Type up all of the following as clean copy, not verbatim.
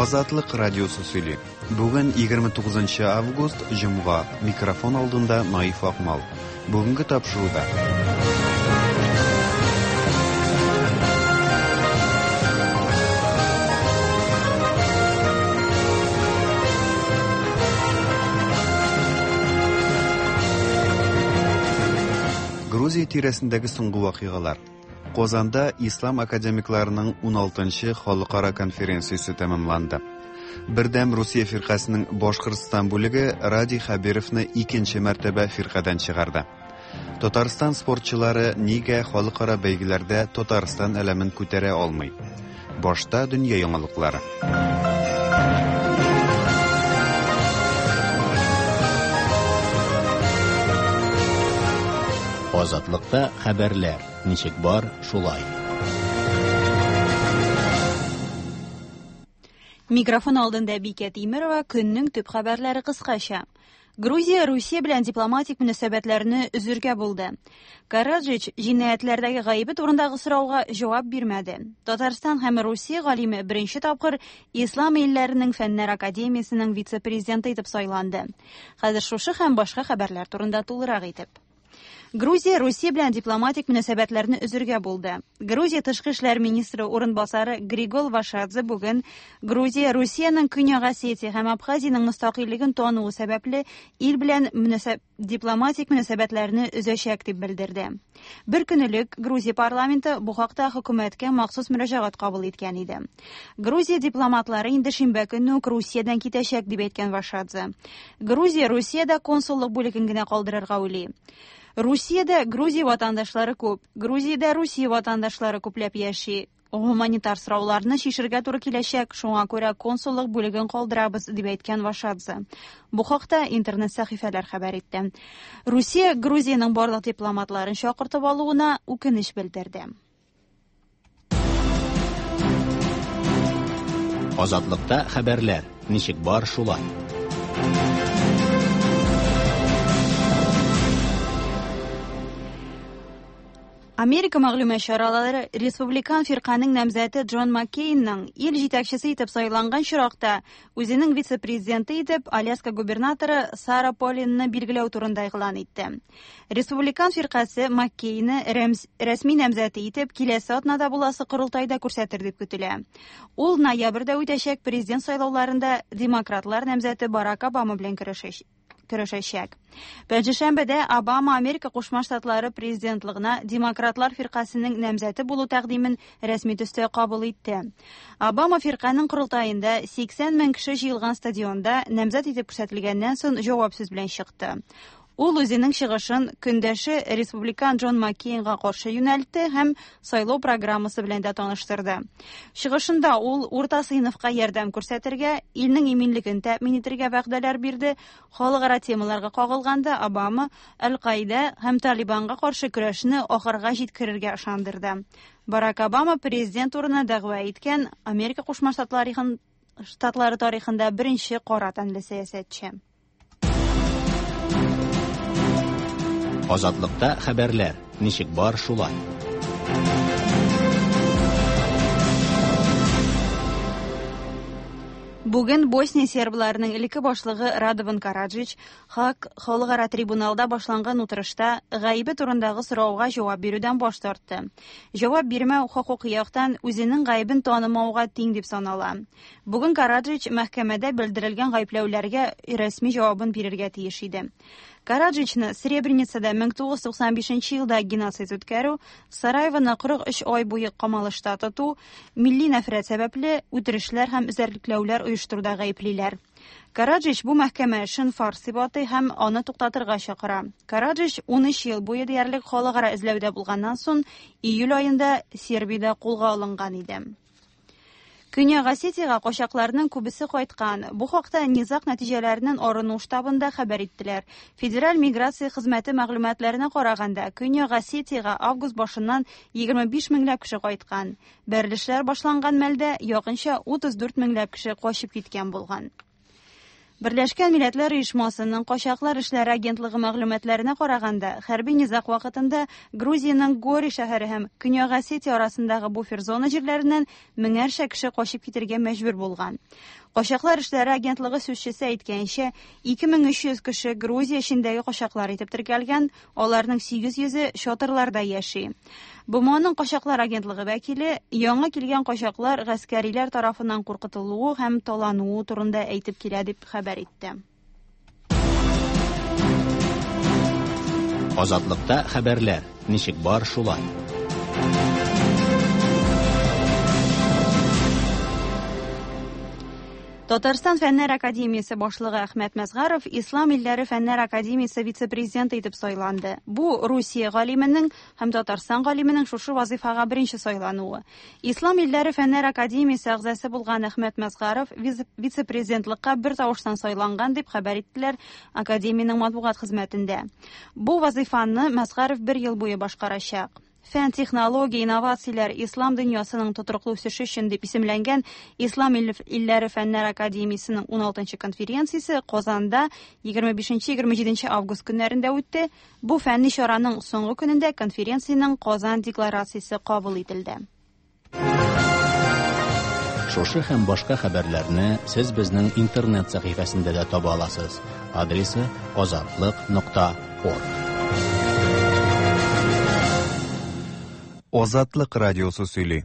Азатлык радиосы сөйли. Бүген 29 август, җомга. Микрофон алдында Наиф Акмал. Бүгенге тапшыруда. Грузия тирәсендәге соңгы вакыйгалар. Казанда ислам академикларының 16-нчы халыкара конференциясе тәмамланды. Бердәм Русия фиркасының Башкортстан бүлеге Радий Хәбировны икенче мәртәбә фиркадән чыгарды. Татарстан спортчылары нигә халыкара бәйгеләрдә Татарстан әләмен күтәрә алмый? Башта дөнья яңалыклары. Азатлыкта хәбәрләр ничек бар, шулай. Микрофон алдында Бикә Тимерова, көннең төп хәбәрләре кыскача. Грузия Русия белән дипломатик мөнәсәбәтләрне өзергә булды. Караджич җинаятьләрдәге гаебе турындагы сорауга җавап бирмәде. Татарстан һәм Русия галиме беренче тапкыр Ислам илләренең фәннәр академиясенең вице-президенты итеп сайланды. Хәзер шушы һәм башка хәбәрләр турында тулырак итеп. Грузия Русия белән дипломатик мөнәсәбәтләрне өзергә булды. Грузия тышкы эшләр министры урынбасары Григол Вашадзе бүген Грузия Русиянең Көньяк Осетия һәм Абхазиянең мөстәкыйльлеген тануы сәбәпле ил белән дипломатик мөнәсәбәтләрне өзәчәк дип белдерде. Бер көн элек Грузия парламенты бу хакта хөкүмәткә махсус мөрәҗәгать кабул иткән иде. Грузия дипломатлары инде шимбә көнне үк Русиядән китәчәк дип әйткән Вашадзе. Грузия Русиядә консуллык бүлеген генә калдырырга уйлый. Русиядә Грузия ватандашлары күп. Грузиядә Русия ватандашлары күпләп яши. Гуманитар сорауларны чишергә туры киләчәк, шуңа күрә консуллык бүлеген калдырабыз, дип әйткән Вашадзе. Бу хакта интернет сәхифәләр хәбәр итте. Русия Грузиянең барлык дипломатларын чакыртып алуына үкенеч белдерде. Азатлыкта хәбәрләр ничек бар, шулай. Америка мәгълүмат чаралары республикан фирканең намзәте Джон Маккейнның ил җитәкчесе итеп сайланган чиракта үзенең вице-президенты итеп Аляска губернаторы Сара Полинны билгеләү турында игълан итте. Республикан фиркасе Маккейны рәсми намзәте итеп киләсе атнада буласы корылтайда күрсәтер дип көтелә. Ул ноябрьдә үтәчәк президент сайлауларында демократлар намзәте Барак Обама белән көрәшәчәк. Пәнҗешәмбедә Обама Америка Кушма Штатлары президентлыгына демократлар фиркасының намзәте булу тәкъдимен рәсми төстә кабул итте. Обама фирканың корылтаенда 80 мең кеше җыелган стадионда намзәт итеп күрсәтелгәннән соң җавап сүз белән чыкты. Ул үзенең чыгышын көндәше республикан Джон Маккейнга каршы юнәлтте һәм сайлау программасы белән дә таныштырды. Чыгышында ул урта сыйныфка ярдәм күрсәтергә, илнең иминлеген тәэмин итәргә вәгъдәләр бирде. Халыкара темаларга кагылганда Обама Аль-Каида һәм Талибанга каршы көрәшне ахырга җиткерергә ышандырды. Барак Обама президент урынына дәгъва иткән Америка Кушма Штатлары тарихында беренче кара тәнле сәясәтче. Азатлыкта хәбәрләр ничек бар, шулай. Бүген Босния сербларының элекке башлыгы Радован Караджич Хак халыкара трибуналда башланган утырышта гаебе турындагы сорауга җавап бирүдән баш тартты. Җавап бирмәү хокук яктан үзенең гаебен танымауга тиң дип санала. Бүген Караджич мәхкәмәдә белдерелгән гаепләүләргә рәсми җавабын бирергә тиеш иде. Караджичны Сребреницада 1995 елда геноцид үткәрү, Сараевоны 43 ай буе камалышта тоту, милли нәфрәт сәбәпле үтерешләр һәм эзәрлекләүләр оештыруда гаеплиләр. Караджич бу мәхкәмә эшен фарс дип атый һәм аны туктатырга чакыра. Караджич 13 ел буе диярлек халыкара эзләүдә булганнан соң июль аенда Сербиядә кулга алынган иде. Көньяк Осетиягә качакларның күбесе кайткан. Бу хакта низаг нәтиҗәләреннән арыну штабында хәбәр иттеләр. Федераль миграция хезмәте мәгълүматларына караганда, Көньяк Осетиягә август башыннан 25 меңләп кеше кайткан. Бәрелешләр башланган мәлдә якынча 34 меңләп кеше качып киткән булган. Берләшкән Милләтләр Оешмасының Качаклар эшләре агентлыгы мәгълүматларына караганда, хәрби низаг вакытында Грузиянең Гори шәһәре һәм Көньяк Осетия арасындагы буфер зона җирләреннән меңәрчә кеше качып китергә мәҗбүр булган. Качаклар эшләре агентлыгы сүзчесе әйткәнчә, 2300 кеше Грузия эчендәге качаклар итеп теркәлгән, аларның 800-е чатырларда яши. БМОның качаклар агентлыгы вәкиле яңа килгән качаклар гаскәриләр тарафыннан куркытылуы һәм талануы турында әйтеп килә дип хәбәр итте. Азатлыкта хәбәрләр ничек бар шулай. Татарстан Фәннәр академиясе башлыгы Әхмәт Мәзгаров Ислам илләре Фәннәр академиясе вице-президенты итеп сайланды. Бу Русия галименең һәм Татарстан галименең шушы вазыйфага беренче сайлануы. Ислам илләре Фәннәр академиясе әгъзасы булган Әхмәт Мәзгаров вице-президентлыкка бер тавыштан сайланган дип хәбәр иттеләр академиянең матбугат хезмәтендә. Бу вазыйфаны Мәзгаров бер ел буе башкарачак. Фән, технология, инновацияләр ислам дөньясының тотрыклы үсеше өчен дип исемләнгән Ислам илләре Фәннәр академиясенең 16нчы конференциясе Казанда 25-27 август көннәрендә үтте. Бу фәнни чараның соңгы көнендә конференциянең Казан декларациясе кабул ителде. Шушы һәм башка хәбәрләрне сез безнең интернет сәхифәсендә дә таба аласыз. Адресы azatliq.org. Азатлык радиосы сөйли.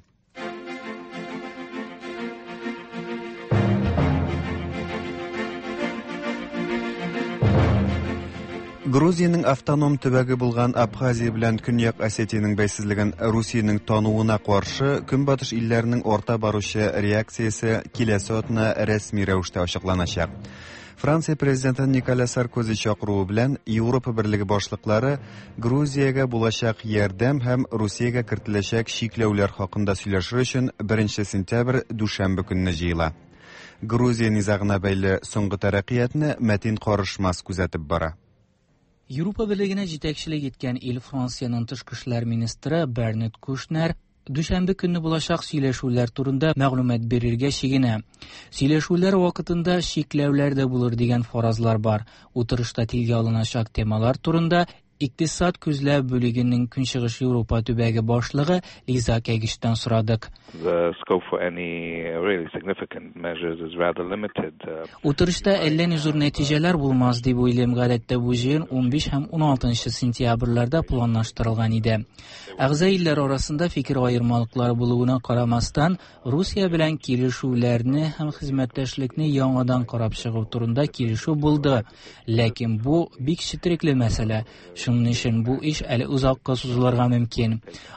Грузиянең автоном төбәге булган Абхазия белән Көньяк Осетиянең бәйсезлеген Русиянең тануына каршы Көнбатыш илләренең арта баручы реакциясе киләсе атна рәсми рәвештә ачыкланачак. Франция президенты Николя Саркози чакыруы белән Европа берлеге башлыклары Грузиягә булачак ярдәм һәм Русиягә кертеләчәк чикләүләр хакында сөйләшер өчен 1 сентябрь дүшәмбе көнне җыела. Грузия низагына бәйле соңгы тәрәккыятны Мәтин Карышмас күзәтеп бара. Европа берлегенә җитәкчелек иткән ил Франциянең тышкы эшләр министры Бернет Кушнер дүшәмбе көнне булачак сөйләшүләр турында мәгълүмат бирергә чигенә. Сөйләшүләр вакытында чикләүләр дә булыр дигән фаразлар бар. Утырышта телгә алыначак темалар турында Икътисад күзләү бүлегенең Көнчыгыш Европа төбәге башлыгы Лиза Кәгиштән сорадык. Утырышта әллә ни зур нәтиҗәләр булмас дип уйлыйм. Гадәттә бу җыен 15 һәм 16 сентябрьләрдә планлаштырылган иде. Әгъза илләр арасында фикер аермалыклары булуына карамастан, Русия белән килешүләрне һәм хезмәттәшлекне яңадан карап чыгу турында килешү булды. Ләкин бу бик четерекле мәсьәлә. Шуның өчен бу эш әле озакка сузылырга мөмкин.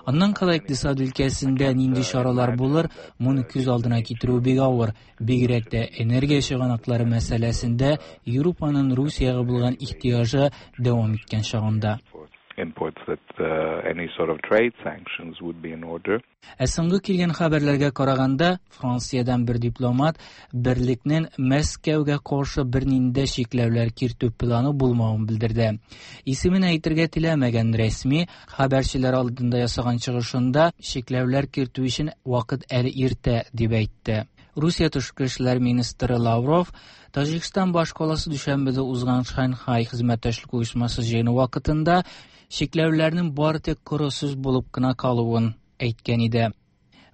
Аннан кала икътисад өлкәсендә нинди чаралар булыр, моны күз алдына китерү бик авыр. Бигрәк тә энергия чыганаклары мәсьәләсендә Европаның Русиягә булган ихтыяҗы дәвам иткән чагында. Imports that any sort of trade sanctions would be in order. Ә соңгы килгән хәбәрләргә караганда, Франциядән бер дипломат берлекнең Мәскәүгә каршы бернинди чикләүләр кертү планы булмавын белдерде. Исемен әйтергә теләмәгән рәсми хәбәрчеләр алдында ясаган чыгышында чикләүләр кертү өчен вакыт әле иртә дип әйтте. Русия тышкы эшләр министры Лавров Таҗикстан башкаласы Дүшәнбедә узган Шанхай хезмәттәшлек оешмасы җыены вакытында чикләүләрнең бары тик коры сүз булып кына калуын әйткән иде.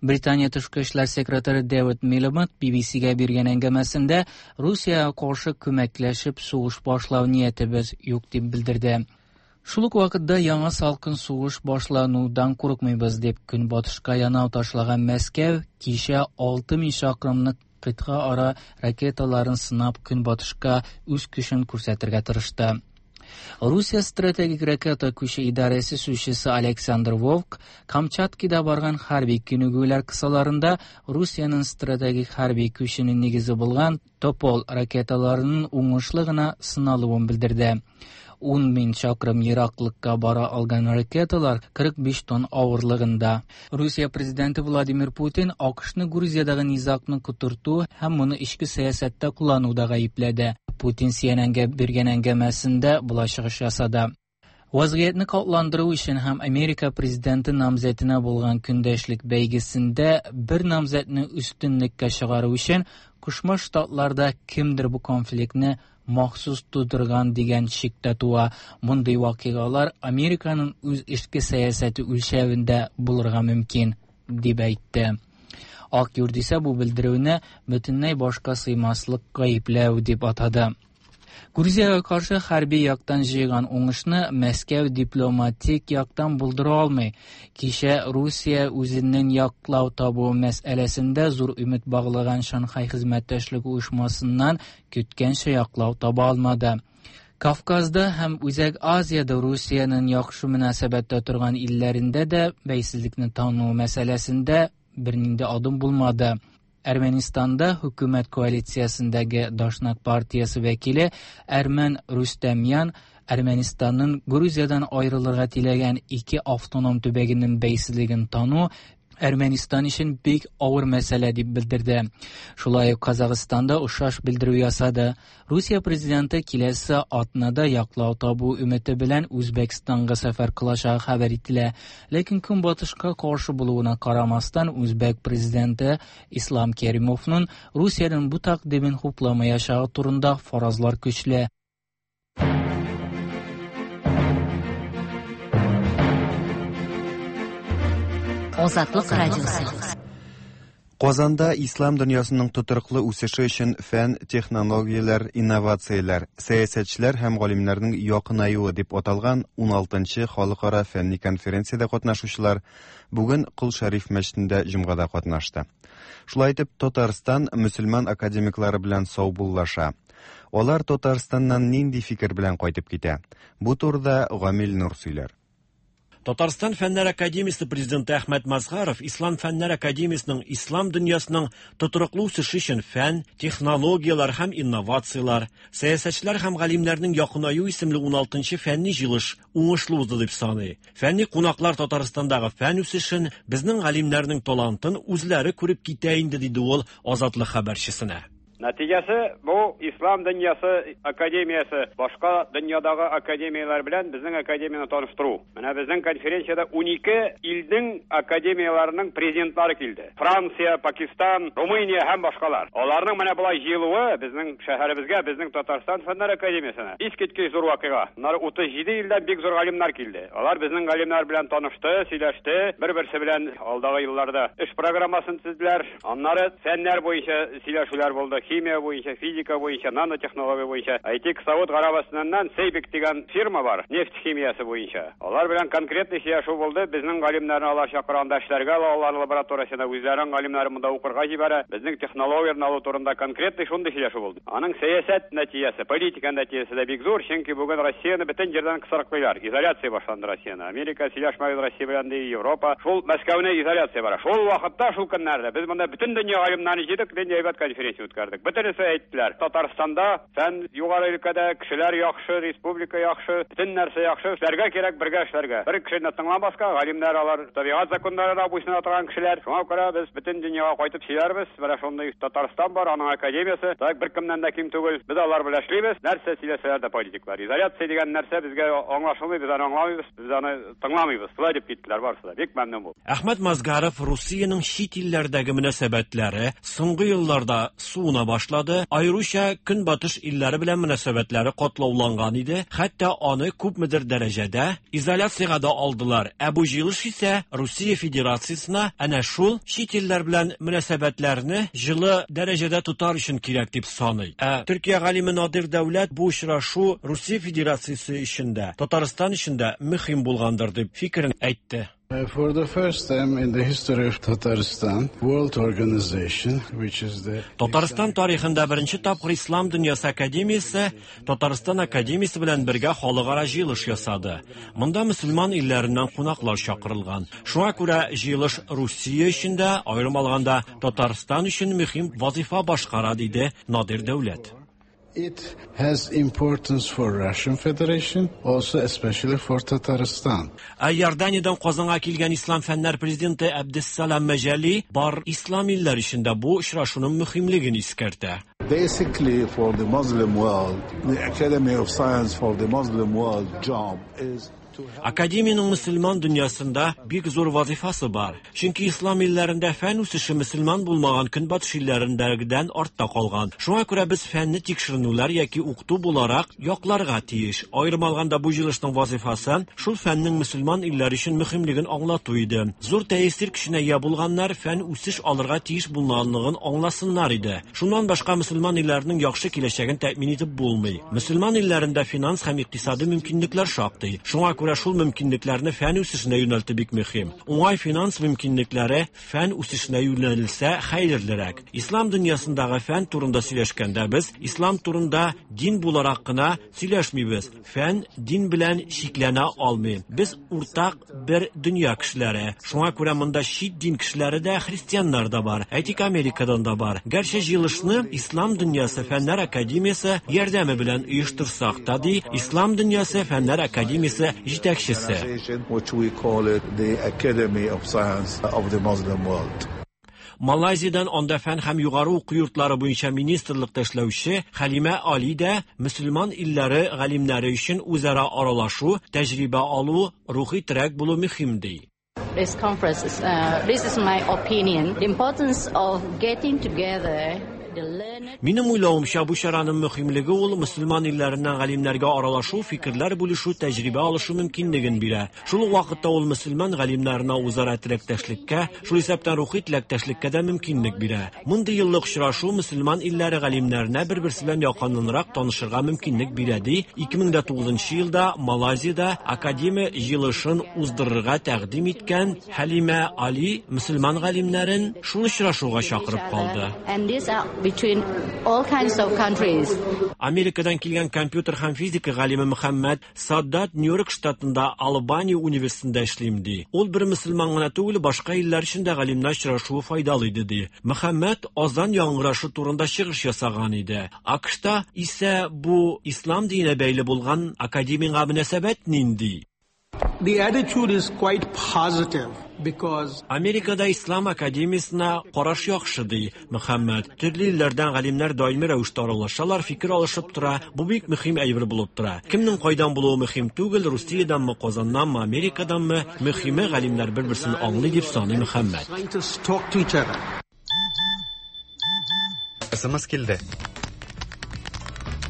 Британия тышкы эшләр секретаре Дэвид Милибанд BBC-гә биргән әңгәмәсендә Русиягә каршы күмәкләшеп сугыш башлау ниятебез юк дип белдерде. Шул ук вакытта яңа салкын сугыш башланудан курыкмыйбыз дип көнбатышка янау ташлаган Мәскәү кичә 6000 чакрымлык кыйтга ара ракеталарын сынап көнбатышка үз көчен күрсәтергә тырышты. Русия стратегик ракета күче идарәсе сүзчесе Александр Вовк Камчаткада барган хәрби күнегүләр кысаларында Русиянең стратегик хәрби күченең нигезе булган Топол ракеталарының уңышлы гына сыналуын белдерде. 10 мең чакрым ераклыкка бара алган ракеталар 45 тонн авырлыгында. Русия президенты Владимир Путин АКШны Грузиядагы низагны котырту һәм моны эчке сәясәттә куллануда гаепләде. Путин CNN-гә биргән әңгәмәсендә болай чыгыш ясады. Вазгыятьне катландыру өчен һәм Америка президенты намзәтенә булган көндәшлек бәйгесендә бер намзәтне өстенлеккә чыгару өчен Кушма Штатларда кемдер бу конфликтны махсус тудырган дигән шик тә туа. Мондый вакыйгалар Американың үз эчке сәясәте үлчәвендә булырга мөмкин, дип әйтте. Ак йорт исә бу белдерүне бөтенләй башка сыймаслык гаепләү дип атады. Грузиягә каршы хәрби яктан җыйган уңышны Мәскәү дипломатик яктан булдыра алмый. Кичә Русия үзенең яклау табу мәсьәләсендә зур өмет баглаган Шанхай хезмәттәшлек оешмасыннан көткәнчә яклау таба алмады. Кавказда һәм Үзәк Азиядә Русиянең яхшы мөнәсәбәттә торган илләрендә дә бәйсезлекне тану мәсьәләсендә бернинди адым булмады. Әрмәнистанда хөкүмәт коалициясендәге Дашнак партиясе вәкиле Әрмән Рүстәмян Әрмәнистанның Грузиядән аерылырга теләгән ике автоном төбәгенең бәйсезлеген тану Әрмәнистан өчен бик авыр мәсьәлә дип белдерде. Шулай ук Казахстанда охшаш белдерү ясады. Русия президенты киләсе атнада яклау табу өмете белән Үзбәкстанга сәфәр кылачагы хәбәр ителә. Ләкин Көнбатышка каршы булуына карамастан, үзбәк президенты Ислам Керимовның Русиянең бу тәкъдимен хупламаячагы турында фаразлар көчле. Азатлык радиосы. Казанда ислам дөньясының тотрыклы үсеше өчен фән, технологияләр, инновацияләр, сәясәтчеләр һәм галимнәрнең якынаюы дип аталган 16нчы халыкара фәнни конференциядә катнашучылар бүген Кол Шәриф мәчетендә җомгада катнашты. Шулай итеп, Татарстан мөселман академиклары белән саубуллаша. Алар Татарстаннан нинди фикер белән кайтып китә? Бу турыда Гамил Нур сөйләр. Татарстан Фәннәр академиясе президенты Әхмәт Мазһаров Ислам Фәннәр академиясенең ислам дөньясының тотрыклы үсеше өчен фән, технологияләр һәм инновацияләр, сәясәтчеләр һәм галимнәрнең якынаю исемле 16нчы фәнни җыелыш уңышлы узды дип саный. Фәнни кунаклар Татарстандагы фән үсешен, безнең галимнәрнең талантын үзләре күреп китә инде, диде ул Азатлык хәбәрчесенә. Нәтиҗәсе бу Ислам дөньясы академиясе башка дөньядагы академияләр белән безнең академияне таныштыру. Менә безнең конференциядә 12 илнең академияләренең президентлары килде. Франция, Пакистан, Румыния һәм башкалар. Аларның менә болай җыелуы безнең шәһәребезгә, безнең Татарстан Фәннәр академиясенә искиткеч зур вакыйга. Аннары 37 илдән бик зур галимнәр килде. Алар безнең галимнәр белән танышты, сөйләште, бер-берсе белән алдагы елларда эш программасын төзеделәр. Аннары фәннәр буенча сөйләшүләр булды. Химия буенча, физика буенча, нанотехнология буенча. Әйтик, Сауд Гарәбстаннан Сейбик дигән фирма бар, нефть химиясе буенча. Алар белән конкретный сөйләшү булды. Безнең галимнәрне алар чакырганда эшләргә ала, алар лабораториясенә үзләренең галимнәрен монда укырга җибәрә. Безнең технологияләрне алу турында конкретный шундый сөйләшү булды. Аның сәясәт нәтиҗәсе, политика нәтиҗәсе дә бик зур, чөнки бүген Россияне бөтен җирдән кысрыклыйлар. Изоляция башланды Россияне. Америка сөйләшмәгез Россия белән ди, Европа. Шул Мәскәүне изоляция бара. Шул вакытта, шул көннәрдә без монда бөтен дөнья галимнәрен җыйдык, нинди әйбәт конференция үткәрдек. Бөтенесе әйттеләр, Татарстанда фән югары өлкәдә, кешеләр яхшы, республика яхшы, бөтен нәрсә яхшы, эшләргә кирәк, бергә эшләргә. Бер кешене тыңламаска, галимнәр алар табигать законнарына буйсына торган кешеләр. Шуңа күрә без бөтен дөньяга кайтып сөйләрбез. Менә шундый Татарстан бар, аның академиясе. Так беркемнән дә ким түгел. Без алар белән эшлибез. Нәрсә сөйләсәләр дә политиклар. Изоляция дигән нәрсә безгә аңлашылмый, без аны аңламыйбыз, без аны тыңламыйбыз. Шулай дип киттеләр барысы да. Бик мәмнүн булдым. Әхмәт Мазгаров Русиянең чит илләрдәге мөнәсәбәтләре соңгы елларда суына башлады, аеруча Көнбатыш илләре белән мөнәсәбәтләре катлауланган иде, хәтта аны күпмедер дәрәҗәдә изоляциягә дә алдылар. Ә бу җыелыш исә Русия Федерациясенә әнә шул чит илләр белән мөнәсәбәтләрне җылы дәрәҗәдә тотар өчен кирәк дип саный. Ә Төркия галиме Надир Дәүләт бу очрашу Русия Федерациясе өчен дә, Татарстан өчен дә мөһим булгандыр дип фикерен әйтте. For the first time in the history of Tatarstan, World Organization, which is the Татарстан тарихында беренче тапкыр Ислам дөньясы академиясе Татарстан академиясе белән бергә халыкара җыелыш ясады. Монда мөселман илләреннән кунаклар чакырылган. Шуңа күрә җыелыш Русия өчен дә, аерым алганда Татарстан өчен мөһим вазифа башкара, диде Надир Дәүләт. It has importance for Russian Federation, also especially for Tatarstan. Ә Иорданиядән Казанга килгән Ислам фәннәр президенты Әбдессалам Мәҗәли бар ислам илләре өчен дә бу очрашуның мөһимлеген искәртә. Basically, for the Muslim world, the Academy of Science for the Muslim world job is Академиянең мөселман дөньясында бик зур вазифасы бар. Чөнки ислам илләрендә фән үсеше мөселман булмаган көнбатыш илләрендәгедән артта калган. Шуңа күрә без фәнне тикшеренүләр яки укыту буларак якларга тиеш. Аерым алганда бу җыелышның вазифасы шул фәннең мөселман илләре өчен мөһимлеген аңлату иде. Зур тәэсир көченә ия булганнар фән үсеш алырга тиеш булганлыгын аңласыннар иде. Шуннан башка мөселман илләренең яхшы киләчәген тәэмин итеп булмый. Мөселман илләрендә финанс һәм икътисади мөмкинлекләр шактый. Шуңа күрә шул мөмкинлекләрне фән үсешенә юнәлтү бик мөһим. Уңай финанс мөмкинлекләре фән үсешенә юнәлелсә хәерлерәк. Ислам дөньясындагы фән турында сөйләшкәндә без ислам турында дин буларак кына сөйләшмибез. Фән дин белән чикләнә алмый. Без уртак бер дөнья кешеләре. Шуңа күрә монда чит дин кешеләре дә, христианнар да бар. Әйтик, Америкадан да бар. Гәрчә җыелышны Ислам дөньясы фәннәр академиясе ярдәме белән оештырсак та, ди Ислам дөньясы фәннәр академиясе җитәкчесе. Which we call it the Academy of Science of the Muslim World. Малайзиядән анда фән һәм югары уку йортлары буенча министрлыкта эшләүче Хәлимә Али дә мөселман илләре галимнәре өчен үзара аралашу, тәҗрибә алу, рухи терәк булу мөһим ди. This conference is, this is my opinion. The importance of getting together the learned Минем уйлавымча, бу чараның мөһимлеге ул мөселман илләреннән галимнәргә аралашу, фикерләр бүлешү, тәҗрибә алышу мөмкинлеген бирә. Шул ук вакытта ул мөселман галимнәренә үзара теләктәшлеккә, шул исәптән рухи теләктәшлеккә дә мөмкинлек бирә. Мондый еллык очрашу мөселман илләре галимнәренә бер-берсе белән якыннанрак танышырга мөмкинлек бирә, ди 2009 елда Малайзиядә академия җыелышын уздырырга тәкъдим иткән Хәлимә Али мөселман галимнәрен шул очрашуга чакырып калды. And these are between all kinds of countries. Америкадан килгән компьютер һәм физика галиме Мөхәммәд Саддат Нью-Йорк штатында Албания университетында эшлим ди. Ул бер мөселман гына түгел, башка илләр өчен дә галимнәр очрашуы файдалы иде ди. Мөхәммәд азан яңгырашы турында чыгыш ясаган иде. АКШта исә бу ислам диненә бәйле булган академиягә мөнәсәбәт нинди? The attitude is quite positive because Америкада Ислам академиясенә караш яхшы ди Мөхәммәд. Төрле илләрдән галимнәр даими рәвештә аралашалар, фикер алышып тора. Бу бик мөһим әйбер булып тора. Кемнең кайдан булуы мөһим түгел, Русиядәнме, Казаннанмы, Америкаданмы, мөһиме галимнәр бер-берсен аңлый дип саный Мөхәммәд. scientists talk to each other. СМС килде.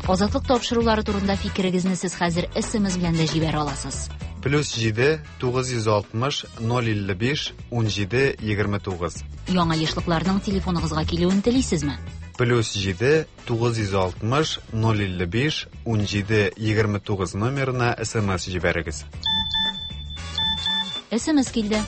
Азатлык тапшырулары турында фикерегезне сез хәзер SMS белән дә җибәрә аласыз. Плюс 7 960 055 17 29. Яңа ешлыкларның телефоныгызга килүен телисезме? Плюс 7 960 055 17 29 номерына СМС җибәрегез. SMS килде.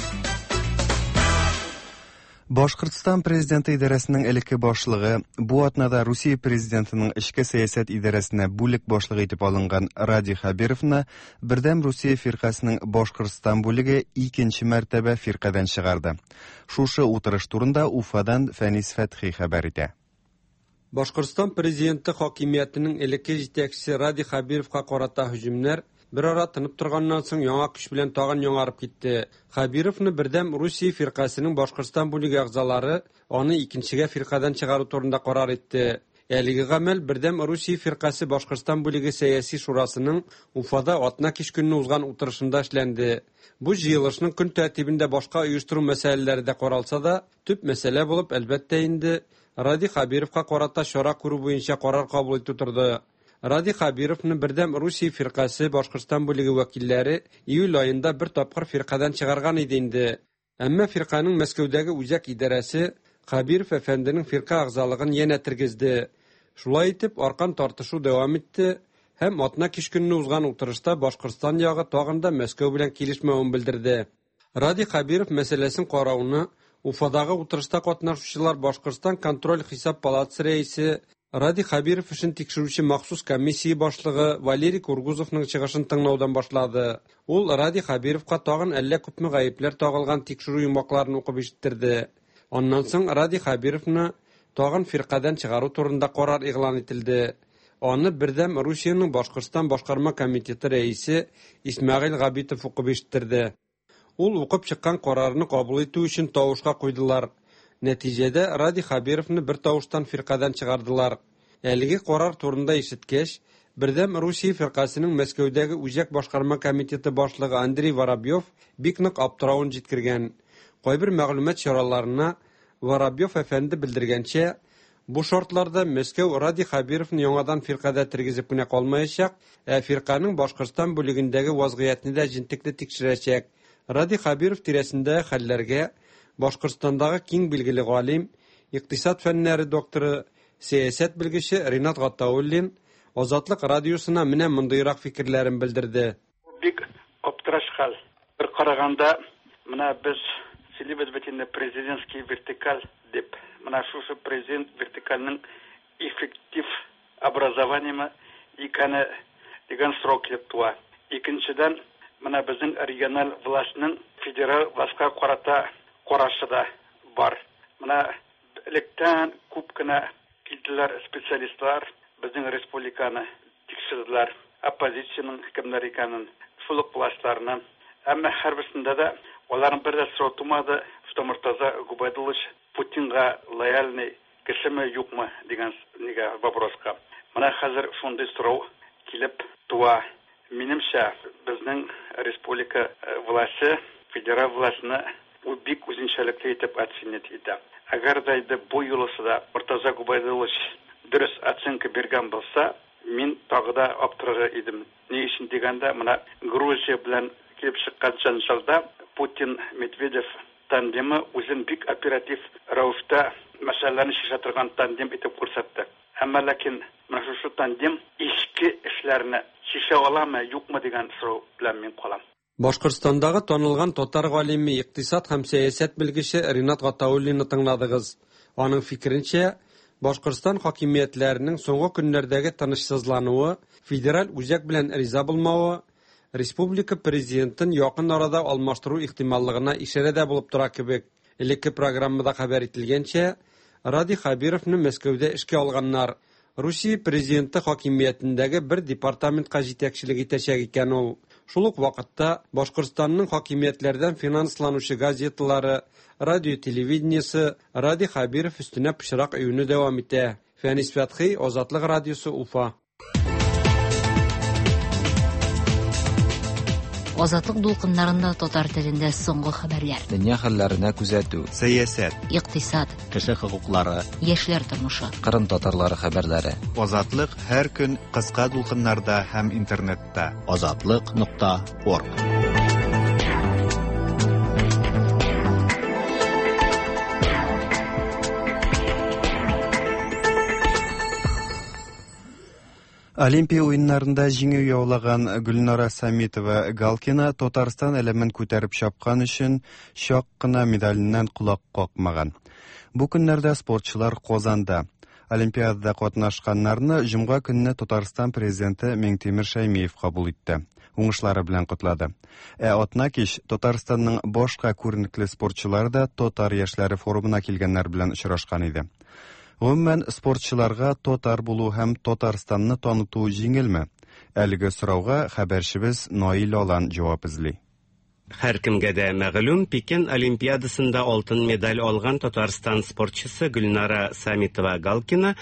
Башкортстан президенты идарәсенең элекке башлыгы, бу атнада Русия президентының эчке сәясәт идарәсенә бүлек башлыгы итеп алынган Радий Хәбировны Бердәм Русия фиркасының Башкортстан бүлеге икенче мәртәбә фиркадән чыгарды. Шушы утырыш турында Уфадан Фәнис Фәтхи хәбәр итә. Башкортстан президенты хакимиятенең элекке җитәкчесе Радий Хәбировка карата һөҗүмнәр бер ара тынып торганнан соң яңа көч белән тагын яңарып китте. Хәбировны Бердәм Русия фиркасының Башкортстан бүлеге әгъзалары аны икенчегә фиркадан чыгару турында карар итте. Әлеге гамәл Бердәм Русия фиркасе Башкортстан бүлеге сәяси шурасының Уфада атна кич көнне узган утырышында эшләнде. Бу җыелышның көн тәртибендә башка оештыру мәсьәләләре дә каралса да, төп мәсьәлә булып, әлбәттә инде, Радий Хәбировка карата чара күрү буенча карар кабул итү торды. Радий Хәбировны Бердәм Русия фиркасе Башкортстан бүлеге вәкилләре июль аенда бер тапкыр фиркадан чыгарган иде инде. Әмма фирканың Мәскәүдәге үзәк идарәсе Хәбиров әфәнденең фирка әгъзалыгын янә тергезде. Шулай итеп, аркан тартышу дәвам итте һәм атна кич көнне узган утырышта Башкортстан ягы тагын да Мәскәү белән килешмәвен белдерде. Радий Хәбиров мәсьәләсен карауны Уфадагы утырышта катнашучылар Башкортстан контроль хисап палатасы рәисе Радий Хәбиров эшен тикшерүче махсус комиссия башлыгы Валерий Кургузовның чыгышын тыңлаудан башлады. Ул Радий Хәбировка тагын әллә күпме гаепләр тагылган тикшерү йомгакларын укып ишеттерде. Аннан соң Радий Хәбировны тагын фиркадан чыгару турында карар игълан ителде. Аны Бердәм Русиянең Башкортстан башкарма комитеты рәисе Исмәгыйль Габитов укып ишеттерде. Ул укып чыккан карарны кабул итү өчен тавышка куйдылар. Нәтиҗәдә Радий Хәбировны бер тавыштан фиркадан чыгардылар. Әлеге карар турында ишеткәч, Бердәм Русия фиркасенең Мәскәүдәге Үзәк башкарма комитеты башлыгы Андрей Воробьев бик нык аптыравын җиткергән. Кайбер мәгълүмат чараларына Воробьев әфәнде белдергәнчә, бу шартларда Мәскәү Радий Хәбировны яңадан фиркадә тергезеп кенә калмаячак, ә фирканең Башкортстан бүлегендәге вазгыятьне дә җентекле тикшерәчәк. Радий Хәбиров тирәсендәге хәлләргә Башкортстандагы киң билгеле галим, икътисад фәннәре докторы, сәясәт белгече Ринат Гатауллин Азатлык радиосына менә мондыйрак фикерләрен белдерде. Бик аптыраш хәл. Бер караганда, менә без сөйлибез бит инде президентский вертикаль дип. Менә шушы президент вертикальнең эффектив образованиемы икәне дигән сорау килеп туа. Икенчедән, менә безнең региональ властьның федераль властька карата карашы да бар. Менә электән күп кенә килделәр специалистлар, безнең республиканы тикшерделәр, оппозициянең кемнәр икәнен, шул ук властьларны. Әмма һәрберсендә дә аларның бер дә сорау тумады, что Мортаза Губайдуллович Путинга лояльный кешеме, юкмы дигән нигә вопроска. Менә хәзер шундый сорау килеп туа. Минемчә, безнең республика власте федераль властьны бик үзенчәлекле итеп оценить итә. Әгәр дә инде бу юлысы да Мортаза Губайдуллович дөрес оценка биргән булса, мин тагы да аптырар идем. Ни өчен дигәндә, менә Грузия белән килеп чыккан җәнҗалда Путин Медведев тандемы үзен бик оператив рәвештә мәсьәләләрне чишә торган тандем итеп күрсәтте. Әмма ләкин менә шушы тандем эчке эшләрне чишә аламы, юкмы дигән сорау белән мин калам. Башкортстандагы танылган татар галиме, икътисад һәм сәясәт белгече Ринат Гатауллинны тыңладыгыз. Аның фикеренчә, Башкортстан хакимиятләренең соңгы көннәрдәге тынычсызлануы, федераль үзәк белән риза булмавы, республика президентын якын арада алмаштыру ихтималлыгына ишарә дә булып тора кебек. Элекке программада хәбәр ителгәнчә, Радий Хәбировны Мәскәүдә эшкә алганнар. Русия президенты хакимиятендәге бер департаментка җитәкчелек итәчәк икән ул. Шул ук вакытта Башкортстанның хакимиятләрдән финансланучы газеталары, радио телевидениесе Радий Хәбиров өстенә пычрак өюне дәвам итә. Фәнис Фәтхи, Азатлык радиосы, Уфа. Азатлык дулкыннарында татар телендә соңгы хәбәрләр. Дөнья хәлләренә күзәтү. Сәясәт. Икътисад. Кеше хокуклары. Яшьләр тормышы. Кырым татарлары хәбәрләре. Азатлык һәр көн кыска дулкыннарда һәм интернетта. Азатлык.орг. Олимпия уеннарында җиңү яулаган Гөлнара Самитова Галкина Татарстан әләмен күтәреп чапкан өчен чак кына медаленнән колак какмаган. Бу көннәрдә спортчылар Казанда. Олимпиадада катнашканнарны җомга көнне Татарстан президенты Миңтимер Шәймиев кабул итте. Уңышлары белән котлады. Ә атна кич Татарстанның башка күренекле спортчылары да Татар яшьләре форумына килгәннәр белән очрашкан иде. Гомумән, спортчыларга татар булу һәм Татарстанны таныту җиңелме? Әлеге сорауга хәбәрчебез Наил Алан җавап эзли. Һәркемгә дә мәгълүм, Пекин Олимпиадасында алтын медаль алган Татарстан спортчысы Гөлнара Самитова-Галкина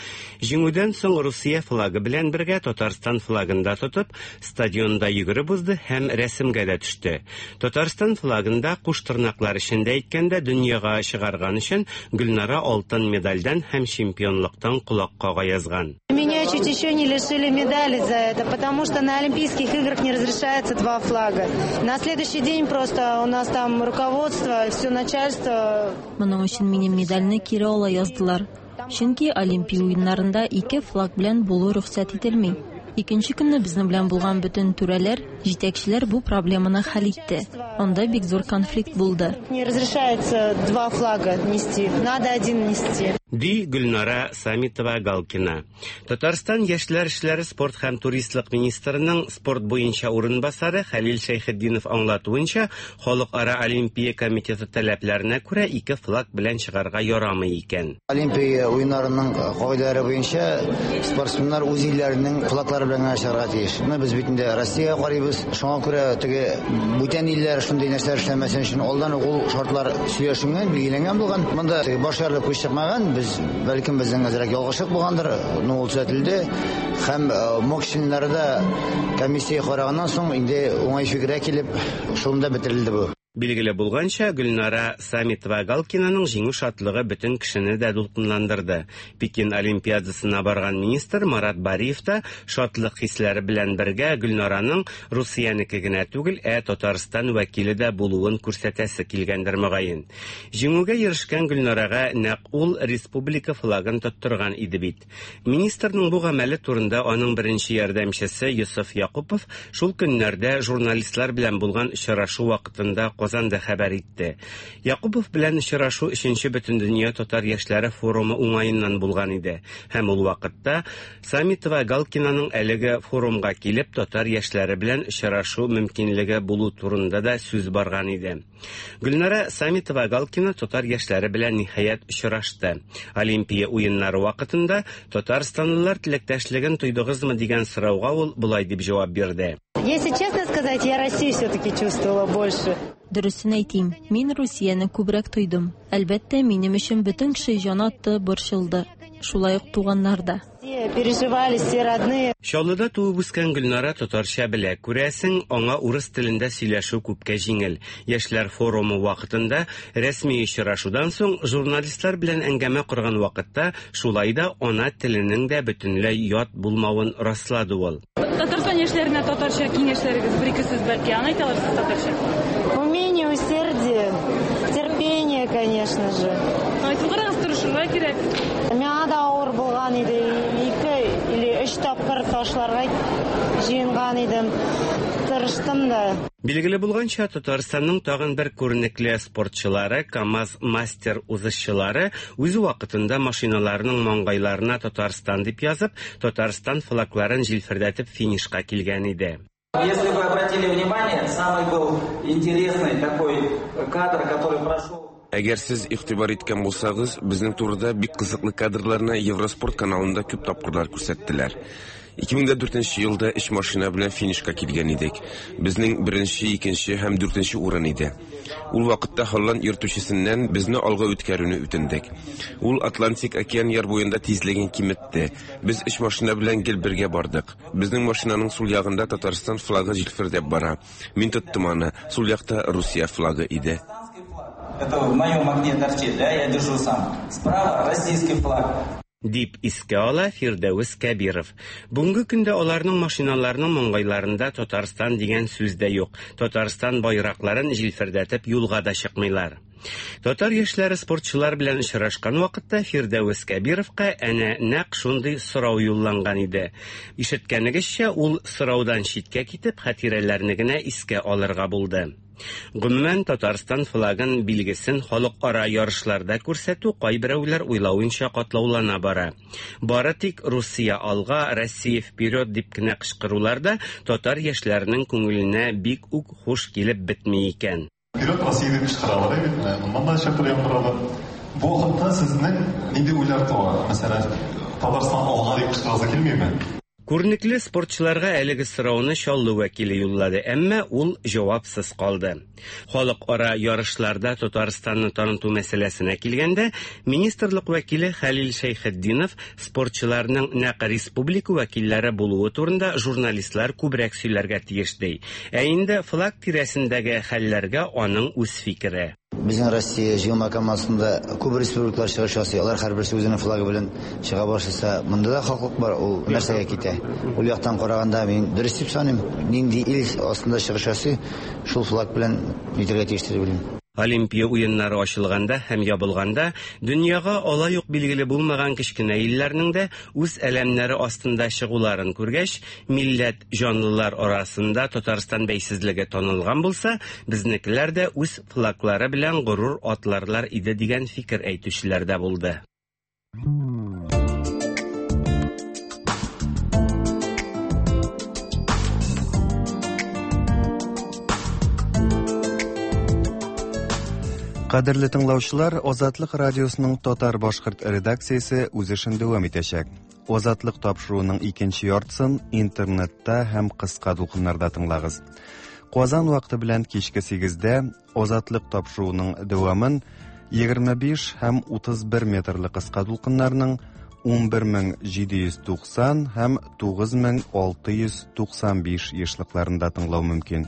җиңүдән соң Русия флагы белән бергә Татарстан флагын да тотып, стадионда йөгереп узды һәм рәсемгә дә төште. Татарстан флагында куш тырнаклар эчендә әйткәндә дөньяга чыгарган өчен Гөлнара алтын медальдән һәм чемпионлыктан колак кага язган. Меня чуть еще не лишили медали за это, потому что на Олимпийских играх не разрешается два флага. На следующий день просто у нас там руководство, все начальство. Моның өчен минем медальне кире ала яздылар. Чөнки Олимпия уеннарында ике флаг белән булу рөхсәт ителми. Икенче көнне безнең белән булган бөтен түрәләр, җитәкчеләр бу проблеманы хәл итте. Анда бик зур конфликт булды. Не разрешается два флага нести, надо один нести. Ди Гөлнара Самитова-Галкина. Татарстан яшьләр эшләре, спорт һәм туристлык министрының спорт буенча урынбасары Хәлил Шәйхетдинов аңлатуынча, Халыкара Олимпия комитеты таләпләренә күрә ике флаг белән чыгарга ярамый икән. Олимпия уеннарының кагыйдәләре буенча спортсменнар үз илләренең флаглары белән генә чыгарга тиеш. Менә без бит инде Россиягә карыйбыз. Шуңа күрә теге бүтән илләр шундый нәрсәләр эшләмәсен өчен алдан ук ул шартлар сөйләшенгән, билгеләнгән булган. Монда теге баш ярылып күз чыкмаган. Без бәлкем безнең әзрәк ялгышлык булгандыр, но ул төзәтелде. Һәм МОК членнары да комиссия караганнан соң инде уңай фикергә килеп, шунда бетерелде бу. Билгеле булганча, Гөлнара Самитова-Галкинаның җиңү шатлыгы бөтен кешене дә дулкынландырды. Пекин Олимпиадасына барган министр Марат Бариев та шатлык хисләре белән бергә Гөлнараның Русиянеке генә түгел, ә Татарстан вәкиле дә булуын күрсәтәсе килгәндер мөгаен. Җиңүгә ирешкән Гөлнарага нәкъ ул республика флагын тоттырган иде бит. Министрның бу гамәле турында аның беренче ярдәмчесе Йосыф Якупов шул көннәрдә журналистлар белән булган очрашу вакытында Казанда хәбәр итте. Якупов белән очрашу өченче Бөтендөнья татар яшьләре форумы уңаеннан булган иде. Һәм ул вакытта Самитова Галкинаның әлеге форумга килеп татар яшьләре белән очрашу мөмкинлеге булу турында да сүз барган иде. Гөлнара Самитова-Галкина татар яшьләре белән ниһаять очрашты. Олимпия уеннары вакытында татарстанлылар теләктәшлеген тойдыгызмы дигән сорауга ул болай дип җавап бирде. Если честно сказать, я Россию все-таки чувствовала больше. Дөресен әйтим, мин Русияне күбрәк тойдым. Әлбәттә, минем өчен бөтен кеше җан атты, борчылды. Шулай ук туганнар да. Все переживали, все родные. Чаллыда туып үскән Гөлнара татарча белә. Күрәсең, аңа урыс телендә сөйләшү күпкә җиңел. Яшьләр форумы вакытында рәсми очрашудан соң журналистлар белән әңгәмә корган вакытта шулай да ана теленең дә бөтенләй ят булмавын раслады ул. Татарстан яшьләренә татарча киңәшләрегез, бер-ике сүз бәлки, аны әйтә алырсыз татарча. Умение, усердие, терпение, конечно же. Айтып карагыз, тырышырга кирәк. Миңа да авыр булган иде. Ике или өч тапкыр ташларга җыенган идем. Тырыштым да. Билгеле булганча, Татарстанның тагын бер күренекле спортчылары, КАМАЗ мастер узышчылары үз вакытында машиналарының маңгайларына Татарстан дип язып, Татарстан флагларын җилфердәтеп финишка килгән иде. Если вы обратили внимание, самый был интересный такой кадр, который прошел. Әгәр сез игътибар иткән булсагыз, безнең турыда бик кызыклы кадрларны Евроспорт каналында күп тапкырлар күрсәттеләр. 2004 елда өч машина белән финишка килгән идек. Безнең беренче, икенче һәм дүртенче урын иде. Ул вакытта Һолланд йөртүчесеннән безне алга үткәрүне үтендек. Ул Атлантик океан яр буенда тизлеген киметте. Без өч машина белән гел бергә бардык. Безнең машинаның сул ягында Татарстан флагы җилфердәп бара. Мин тоттым аны. Сул якта Русия флагы иде. Это в моем окне торчит, да, я держу сам. Справа российский флаг. Дип искә ала Фирдәвес Кәбиров. Бүгенге көндә аларның машиналарының маңгайларында Татарстан дигән сүз дә юк. Татарстан байракларын җилфердәтеп юлга да чыкмыйлар. Татар яшьләре спортчылар белән очрашкан вакытта Фирдәвес Кәбировка әнә нәкъ шундый сорау юлланган иде. Ишеткәнегезчә, ул сораудан читкә китеп, хатирәләрне генә искә алырга булды. Гомумән, Татарстан флагын билгесен халыкара ярышларда күрсәтү кайберәүләр уйлавынча катлаулана бара. Бары тик Русия алга, Россия вперед дип кенә кычкырулар да татар яшьләренең күңеленә бик үк хуш килеп бетми икән. Вперед, Россия дип кычкыралар бит, менә моннан да чәпер яңгырады. Бу вакытта сезнең нинди уйлар туа? Мәсәлән, Татарстан алга дип кычкырасы килмиме? Күренекле спортчыларга әлеге сорауны Чаллы вәкиле юллады, әмма ул җавапсыз калды. Халыкара ярышларда Татарстанны таныту мәсьәләсенә килгәндә, министрлык вәкиле Хәлил Шәйхетдинов спортчыларның нәкъ республика вәкилләре булуы турында журналистлар күбрәк сөйләргә тиеш ди. Ә инде флаг тирәсендәге хәлләргә аның үз фикере. Безнең Россия җыелма командасында күп республикалар чыгыш ясый. Алар һәрберсе үзенең флагы белән чыга башласа, монда да хаклык бар, ул нәрсәгә китә. Ул яктан караганда мин дөрес дип саныйм. Нинди ил астында чыгыш ясый, шул флаг белән нитәргә тиеш дип уйлыйм. Олимпия уеннары ачылганда һәм ябылганда дөньяга алай ук билгеле булмаган кечкенә илләрнең дә үз әләмнәре астында чыгуларын күргәч, милләт җанлылар арасында Татарстан бәйсезлеге танылган булса, безнекеләр дә үз флаглары белән горур атларлар иде дигән фикер әйтүчеләр дә булды. Кадерле тыңлаучылар, Азатлык радиосының татар-башкорт редакциясе үз эшен дәвам итәчәк. Азатлык тапшыруының икенче яртысын интернетта һәм кыска дулкыннарда тыңлагыз. Казан вакыты белән кичке 8-дә Азатлык тапшыруының дәвамын 25 һәм 31 метрлы кыска дулкыннарның 11790 һәм 9695 ешлыкларында тыңлау мөмкин.